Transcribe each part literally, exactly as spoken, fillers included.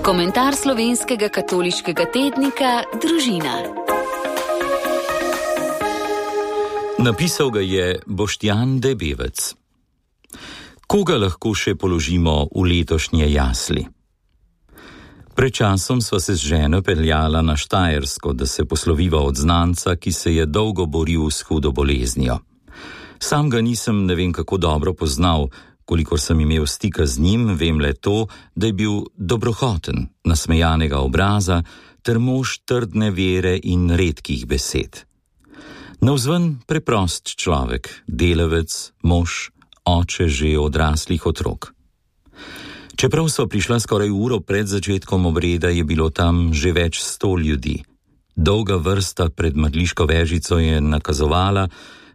Komentar slovenskega katoliškega tednika Družina. Napisal ga je Boštjan Debevec. Koga lahko še položimo v letošnje jasli? Pred časom sva se z ženo peljala na Štajersko, da se posloviva od znanca, ki se je dolgo boril s hudo boleznijo. Sam ga nisem ne vem kako dobro poznal, kolikor sem imel stika z njim, vem le to, da je bil dobrohoten, nasmejanega obraza ter mož trdne vere in redkih besed. Navzven preprost človek, delavec, mož, oče že odraslih otrok. Čeprav so prišla skoraj uro pred začetkom obreda, je bilo tam že več sto ljudi. Dolga vrsta pred mrliško vežico je nakazovala,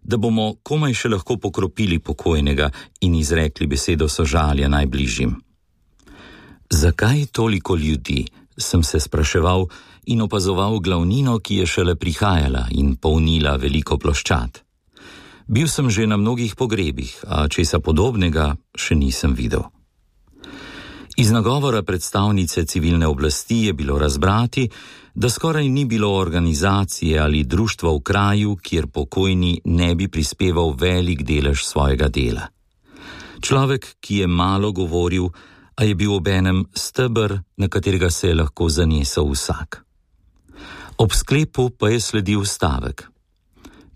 da bomo komaj še lahko pokropili pokojnega in izrekli besedo sožalja najbližjim. Zakaj toliko ljudi, sem se spraševal in opazoval glavnino, ki je šele prihajala in polnila veliko ploščad. Bil sem že na mnogih pogrebih, a česa podobnega še nisem videl. Iz nagovora predstavnice civilne oblasti je bilo razbrati, da skoraj ni bilo organizacije ali društva v kraju, kjer pokojni ne bi prispeval velik delež svojega dela. Človek, ki je malo govoril, a je bil obenem steber, na katerega se je lahko zanesel vsak. Ob sklepu pa je sledil stavek.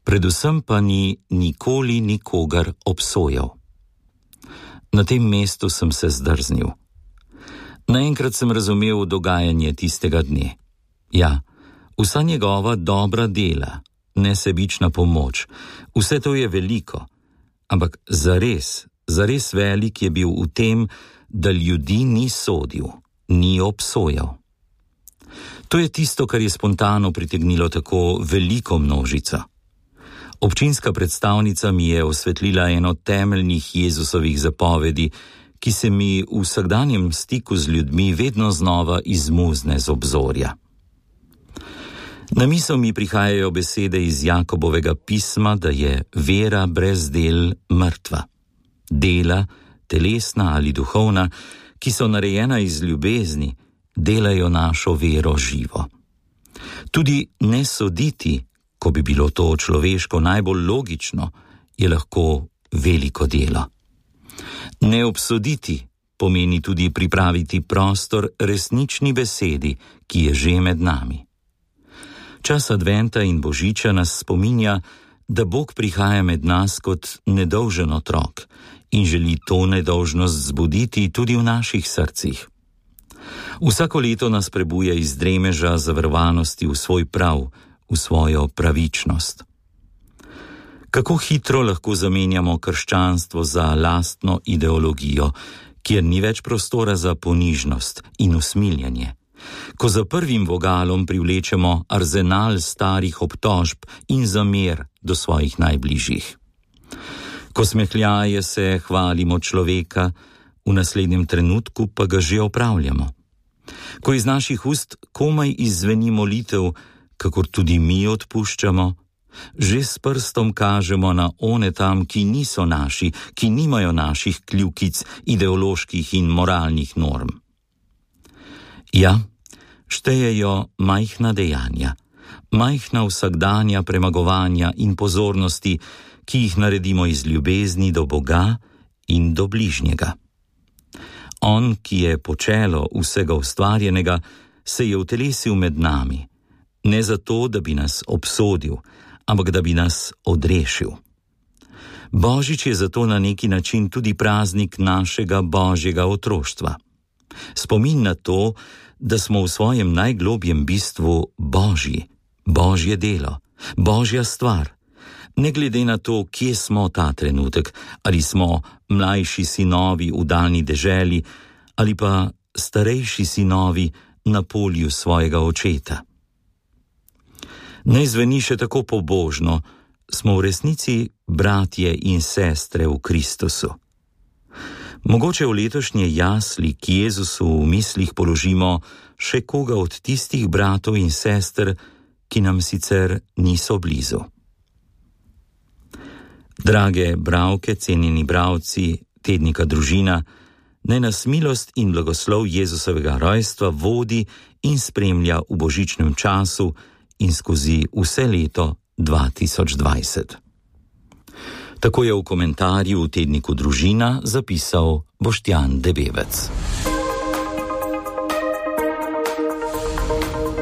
Predvsem pa ni nikoli nikogar obsojal. Na tem mestu sem se zdrznil. Naenkrat sem razumel dogajanje tistega dne. Ja, vsa njegova dobra dela, nesebična pomoč, vse to je veliko, ampak zares, zares velik je bil v tem, da ljudi ni sodil, ni obsojal. To je tisto, kar je spontano pritegnilo tako veliko množico. Občinska predstavnica mi je osvetlila eno temeljnih Jezusovih zapovedi, ki se mi v vsakdanjem stiku z ljudmi vedno znova izmuzne z obzorja. Na misel mi prihajajo besede iz Jakobovega pisma, da je vera brez del mrtva. Dela, telesna ali duhovna, ki so narejena iz ljubezni, delajo našo vero živo. Tudi ne soditi, ko bi bilo to človeško najbolj logično, je lahko veliko delo. Ne obsoditi pomeni tudi pripraviti prostor resnični besedi, ki je že med nami. Čas adventa in božiča nas spominja, da Bog prihaja med nas kot nedolžen otrok in želi to nedolžnost zbuditi tudi v naših srcih. Vsako leto nas prebuja iz dremeža zaverovanosti v svoj prav, v svojo pravičnost. Kako hitro lahko zamenjamo krščanstvo za lastno ideologijo, kjer ni več prostora za ponižnost in usmiljenje. Ko za prvim vogalom privlečemo arzenal starih obtožb in zamer do svojih najbližjih. Ko smehljaje se hvalimo človeka, v naslednjem trenutku pa ga že opravljamo. Ko iz naših ust komaj izzveni molitev, kakor tudi mi odpuščamo, že s prstom kažemo na one tam, ki niso naši, ki nimajo naših kljukic ideoloških in moralnih norm. Ja, štejejo majhna dejanja, majhna vsakdanja premagovanja in pozornosti, ki jih naredimo iz ljubezni do Boga in do bližnjega. On, ki je počelo vsega ustvarjenega, se je utelesil med nami, ne zato, da bi nas obsodil, ampak da bi nas odrešil. Božič je zato na neki način tudi praznik našega božjega otroštva. Spomin na to, da smo v svojem najglobjem bistvu božji, božje delo, božja stvar. Ne glede na to, kje smo ta trenutek, ali smo mlajši sinovi v daljni deželi, ali pa starejši sinovi na polju svojega očeta. Ne zveni še tako pobožno, smo v resnici bratje in sestre v Kristusu. Mogoče v letošnje jasli k Jezusu v mislih položimo še koga od tistih bratov in sester, ki nam sicer niso blizu. Drage bralke, cenjeni bralci tednika Družina, naj nas milost in blagoslov Jezusovega rojstva vodi in spremlja v božičnem času in skozi vse leto dva tisoč dvajset. Tako je v komentarju v tedniku Družina zapisal Boštjan Debevec.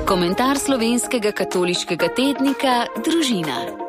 Komentar slovenskega katoliškega tednika Družina.